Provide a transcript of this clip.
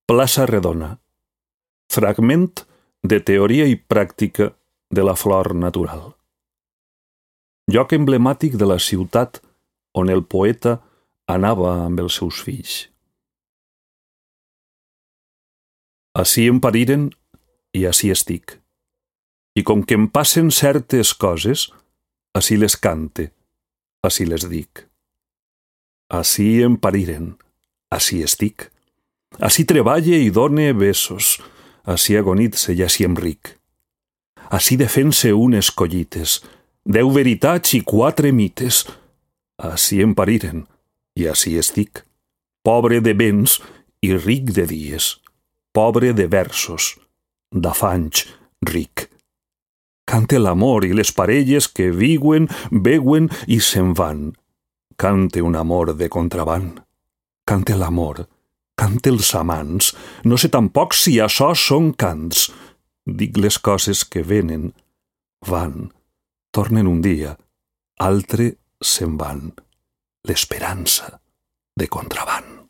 Plaça Redona. Fragment de teoria i pràctica de la flor natural. Lloc emblemàtic de la ciutat on el poeta anava amb els seus fills. Ací em pariren i ací estic. I com que em passen certes coses, ací les cante, ací les dic. Ací em pariren, ací estic. Ací treballe i done besos, ací agonitze i ací em ric. Ací defense unes collites, 10 veritats i 4 mites. Ací em pariren i ací estic. Pobre de béns i ric de dies. Pobre de versos, d'afanys, ric. Cante l'amor i les parelles que viuen, beuen i se'n van. Cante un amor de contraban. Cante l'amor, cante els amants. No sé tampoc si açò són cants. Dic les coses que venen, van, tornen un dia, altre se'n van. L'esperança de contraban.